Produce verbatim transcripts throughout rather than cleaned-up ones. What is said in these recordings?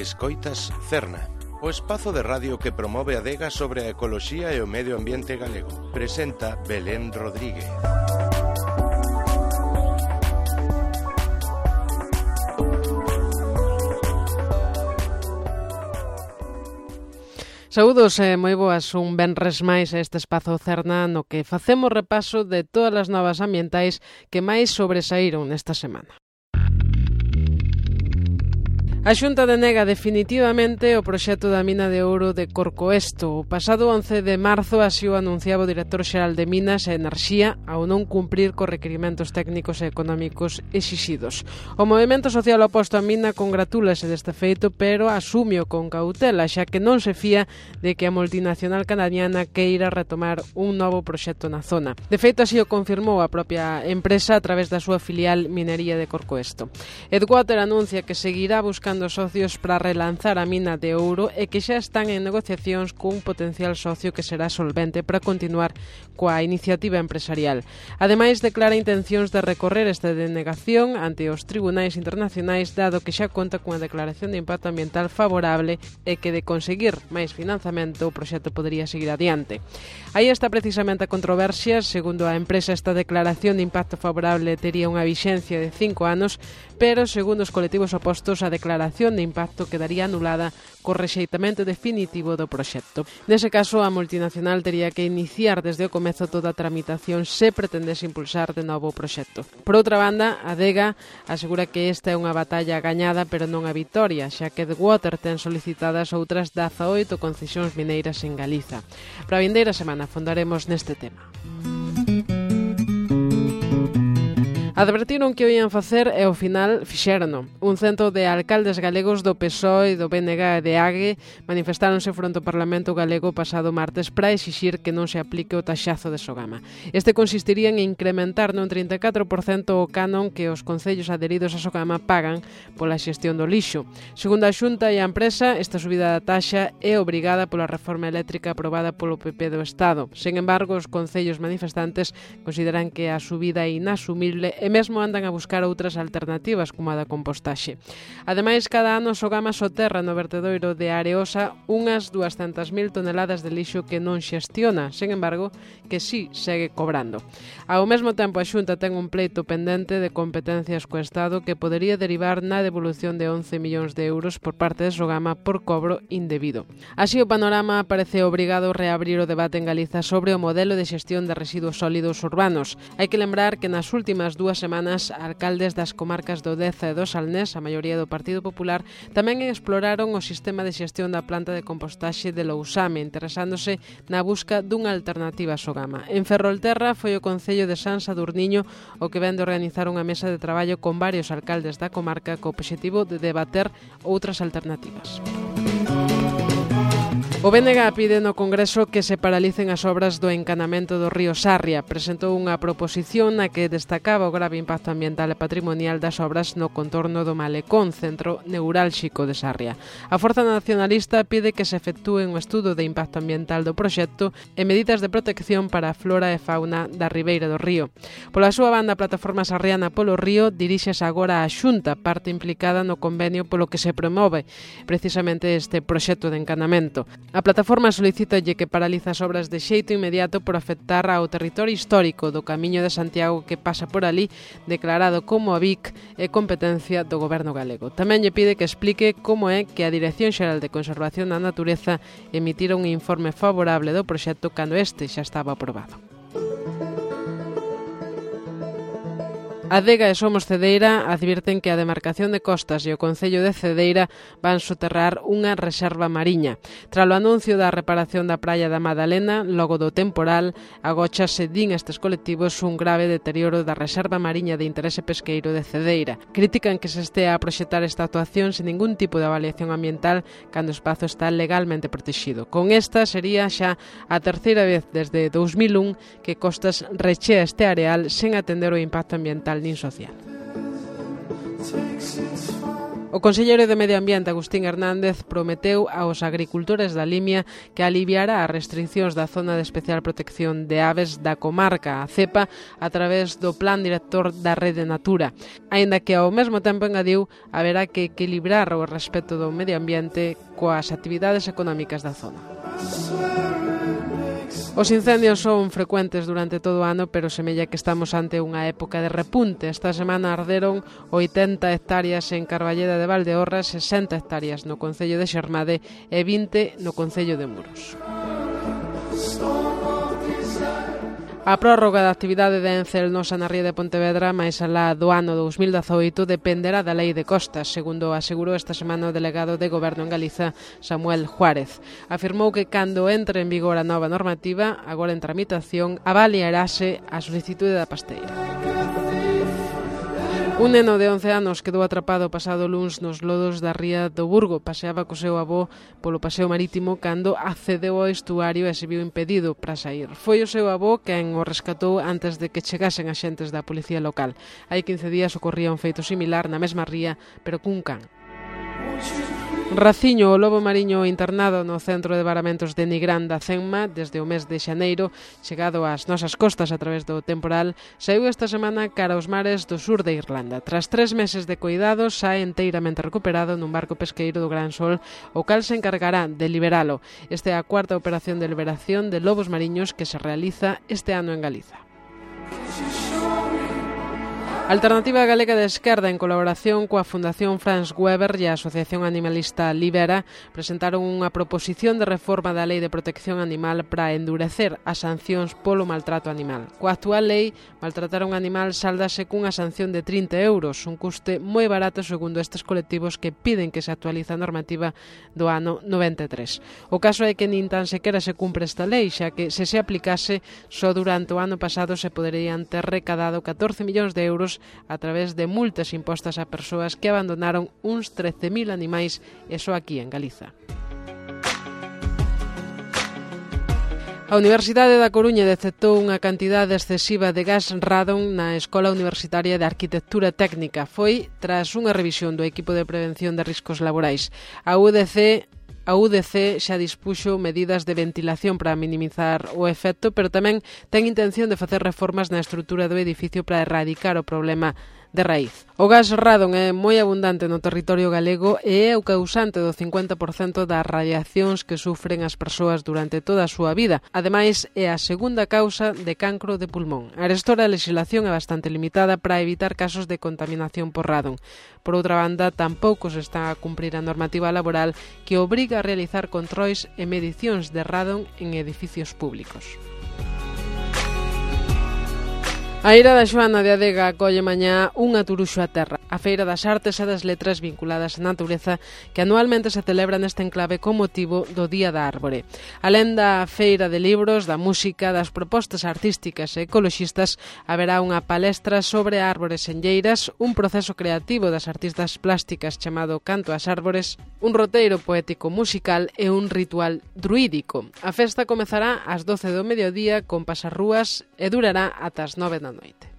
Escoitas Cerna, o espazo de radio que promove a adega sobre a ecoloxía e o medio ambiente galego. Presenta Belén Rodríguez. Saúdos e moi boas, un venres máis a este espazo Cerna no que facemos repaso de todas as novas ambientais que máis sobresaíron nesta semana. A Xunta denega definitivamente o proxecto da mina de ouro de Corcoesto. O pasado once de marzo así o anunciaba o director xeral de Minas e Enerxía ao non cumprir cos requirimentos técnicos e económicos exixidos. O movemento social oposto á mina congratúlase deste feito, pero asumio con cautela, xa que non se fía de que a multinacional canadiana queira retomar un novo proxecto na zona. De feito, así o confirmou a propia empresa a través da súa filial Minería de Corcoesto. Edwater anuncia que seguirá buscando socios para relanzar a mina de ouro e que xa están en negociacións cun potencial socio que será solvente para continuar coa iniciativa empresarial. Ademais, declara intencións de recorrer esta denegación ante os tribunais internacionais, dado que xa conta cunha declaración de impacto ambiental favorable e que de conseguir máis financiamento o proxecto podería seguir adiante. Aí está precisamente a controversia. Segundo a empresa, esta declaración de impacto favorable tería unha vixencia de cinco anos, pero segundo os colectivos opostos, a declaración de impacto quedaría anulada co rexeitamento definitivo do proxecto. Nese caso, a multinacional tería que iniciar desde o comezo toda a tramitación se pretendese impulsar de novo o proxecto. Por outra banda, a Adega asegura que esta é unha batalla gañada, pero non a vitoria, xa que Edwater ten solicitadas outras dezaoito concesións mineiras en Galiza. Para a vindeira semana fondaremos neste tema. Advertiron que o ian facer e ao final fixérono. Un cento de alcaldes galegos do P S O E, do B N G e de A G E manifestáronse fronte ao Parlamento galego pasado martes para exixir que non se aplique o taxazo de Sogama. Este consistiría en incrementar nun trinta e catro por cento o canon que os concellos adheridos a Sogama pagan pola xestión do lixo. Segundo a Xunta e a empresa, esta subida da taxa é obrigada pola reforma eléctrica aprobada polo P P do Estado. Sen embargo, os concellos manifestantes consideran que a subida é inasumible e mesmo andan a buscar outras alternativas como a da compostaxe. Ademais, cada ano Sogama soterra no vertedoiro de Areosa unhas duascentas mil toneladas de lixo que non xestiona, sen embargo, que sí segue cobrando. Ao mesmo tempo, a Xunta ten un pleito pendente de competencias co Estado que podería derivar na devolución de once millóns de euros por parte de Sogama por cobro indebido. Así, o panorama parece obrigado a reabrir o debate en Galiza sobre o modelo de xestión de residuos sólidos urbanos. Hai que lembrar que nas últimas dúas semanas, alcaldes das comarcas do Deza e do Salnés, a maioría do Partido Popular, tamén exploraron o sistema de xestión da planta de compostaxe de Lousame, interesándose na busca dunha alternativa a Sogama. En Ferrolterra foi o Concello de San Sadurniño o que vén de organizar unha mesa de traballo con varios alcaldes da comarca co obxectivo de debater outras alternativas. O B N G pide no Congreso que se paralicen as obras do encanamento do río Sarria. Presentou unha proposición na que destacaba o grave impacto ambiental e patrimonial das obras no contorno do Malecón, centro neurálxico de Sarria. A Forza Nacionalista pide que se efectúe un estudo de impacto ambiental do proxecto e medidas de protección para a flora e fauna da ribeira do río. Pola súa banda, a Plataforma Sarriana polo Río diríxese agora á Xunta, parte implicada no convenio polo que se promove precisamente este proxecto de encanamento. A plataforma solicítalle que paraliza as obras de xeito inmediato por afectar ao territorio histórico do Camiño de Santiago que pasa por ali, declarado como a Vic é competencia do Goberno galego. Tamén lle pide que explique como é que a Dirección Xeral de Conservación da Natureza emitira un informe favorable do proxecto cando este xa estaba aprobado. A Adega e Somos Cedeira advirten que a demarcación de costas e o Concello de Cedeira van soterrar unha reserva mariña. Tralo anuncio da reparación da praia da Madalena, logo do temporal, agóchase, din estes colectivos, un grave deterioro da reserva mariña de interese pesqueiro de Cedeira. Critican que se estea a proxectar esta actuación sen ningún tipo de avaliación ambiental cando o espazo está legalmente protegido. Con esta sería xa a terceira vez desde dous mil un que Costas rechea este areal sen atender o impacto ambiental nin social. O conselleiro de Medio Ambiente, Agustín Hernández, prometeu aos agricultores da Limia que aliviará as restriccións da Zona de Especial Protección de Aves da comarca, a CEPA, a través do Plan Director da Rede Natura, aínda que ao mesmo tempo engadiu haberá que equilibrar o respeto do medio ambiente coas actividades económicas da zona. Os incendios son frecuentes durante todo o ano, pero semella que estamos ante unha época de repunte. Esta semana arderon oitenta hectáreas en Carballeda de Valdeorras, sesenta hectáreas no concello de Xermade e vinte no concello de Muros. A prórroga da actividade de Ence Elnosa na ría de Pontevedra máis alá do ano dous mil dezaoito dependerá da Lei de Costas, segundo asegurou esta semana o delegado de Goberno en Galiza, Samuel Juárez. Afirmou que cando entre en vigor a nova normativa, agora en tramitación, avaliarase a solicitude da pasteira. Un neno de once anos quedou atrapado pasado luns nos lodos da ría do Burgo. Paseaba co seu avó polo paseo marítimo cando accedeu ao estuario e se viu impedido para sair. Foi o seu avó quen o rescatou antes de que chegasen axentes da policía local. Hai quince días ocorría un feito similar na mesma ría, pero cun can. Raciño, o lobo mariño internado no Centro de Varamentos de Nigrán da Cenma desde o mes de xaneiro, chegado ás nosas costas a través do temporal, saiu esta semana cara aos mares do sur de Irlanda. Tras tres meses de cuidados, sae enteiramente recuperado nun barco pesqueiro do Gran Sol, o cal se encargará de liberalo. Esta é a cuarta operación de liberación de lobos mariños que se realiza este ano en Galiza. Alternativa Galega de Esquerda, en colaboración coa Fundación Franz Weber e a Asociación Animalista Libera, presentaron unha proposición de reforma da Lei de Protección Animal para endurecer as sancións polo maltrato animal. Coa actual lei, maltratar un animal sáldase cunha sanción de trinta euros, un custe moi barato segundo estes colectivos que piden que se actualize a normativa do ano noventa e tres. O caso é que nin tan sequera se cumpre esta lei, xa que se se aplicase, só durante o ano pasado se poderían ter recadado catorce millóns de euros a través de multas impostas a persoas que abandonaron uns trece mil animais, e só aquí en Galiza. A Universidade da Coruña detectou unha cantidade excesiva de gas radon na Escola Universitaria de Arquitectura Técnica. Foi tras unha revisión do equipo de prevención de riscos laborais. A U D C A U D C xa dispuxo medidas de ventilación para minimizar o efecto, pero tamén ten intención de facer reformas na estrutura do edificio para erradicar o problema de raíz. O gas radon é moi abundante no territorio galego e é o causante do cincuenta por cento das radiacións que sufren as persoas durante toda a súa vida. Ademais, é a segunda causa de cancro de pulmón. Arestora a legislación é bastante limitada para evitar casos de contaminación por radon. Por outra banda, tampouco se está a cumprir a normativa laboral que obriga a realizar controis e medicións de radon en edificios públicos. A Eira da Xoana de Adega acolle mañá unha turuxo a terra, a Feira das Artes e das Letras vinculadas á natureza que anualmente se celebra neste enclave con motivo do Día da Árbore. Alén da feira de libros, da música, das propostas artísticas e ecoloxistas, haberá unha palestra sobre árbores enlleiras, un proceso creativo das artistas plásticas chamado Canto ás Árbores, un roteiro poético musical e un ritual druídico. A festa comezará ás doce do mediodía con pasarrúas e durará ata as nove da noite.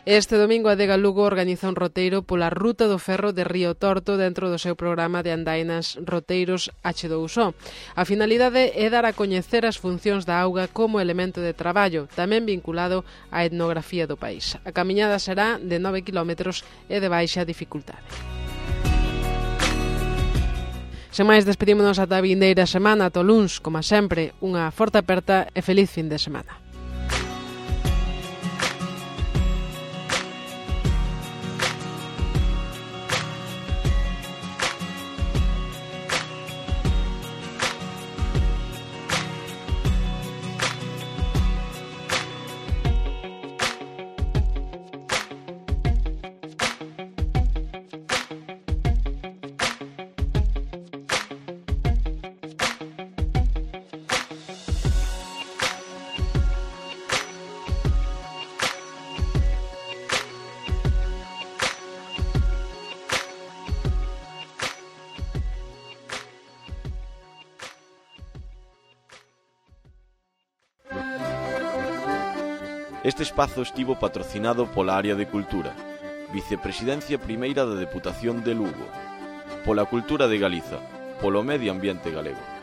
Este domingo a Adega Lugo organiza un roteiro pola Ruta do Ferro de Río Torto dentro do seu programa de andainas Roteiros hache dous o. A finalidade é dar a coñecer as funcións da auga como elemento de traballo, tamén vinculado á etnografía do país. A camiñada será de nove quilómetros e de baixa dificultade. Sen máis, despedímonos ata a vindeira semana, ata o luns, como sempre, unha forte aperta e feliz fin de semana. Este espazo estivo patrocinado pola área de Cultura, Vicepresidencia Primeira da Deputación de Lugo, pola Cultura de Galiza, polo Medio Ambiente Galego.